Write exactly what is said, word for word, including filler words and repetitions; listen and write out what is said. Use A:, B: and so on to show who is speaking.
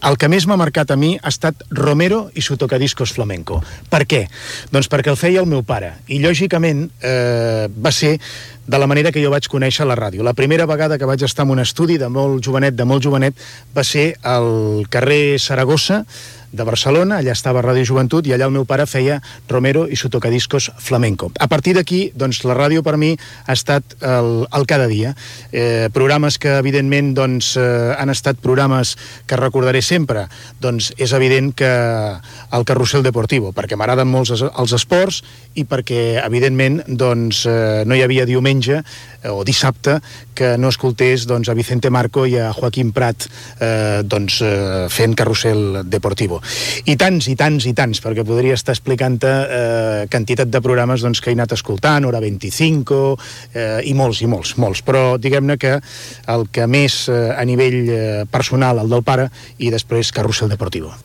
A: El que més m'ha marcat a mi ha estat Romero i su tocadiscos flamenco. Per què? Doncs perquè el feia el meu pare. I, lògicament, eh, va ser de la manera que jo vaig conèixer la ràdio. La primera vegada que vaig estar en un estudi de molt jovenet, de molt jovenet, va ser al carrer Saragossa de Barcelona, allà estava Ràdio Joventut, i allà el meu pare feia Romero i su tocadiscos flamenco. A partir d'aquí, doncs, la ràdio per mi ha estat el, el cada dia. Eh, programes que, evidentment, doncs, eh, han estat programes que recordaré sempre. Doncs és evident que el Carrusel Deportivo, perquè m'agraden molts els esports i perquè, evidentment, doncs, eh, no hi havia diumenge eh, o dissabte que no escoltés, doncs, a Vicente Marco i a Joaquim Prat eh, doncs, eh, fent Carrusel Deportivo. I tants, i tants, i tants, perquè podria estar explicant-te eh, quantitat de programes doncs, que he anat escoltant, Hora vint-i-cinc, eh, i molts, i molts, molts. Però diguem-ne que el que més eh, a nivell eh, personal, el del pare, i després Carrusel Deportivo.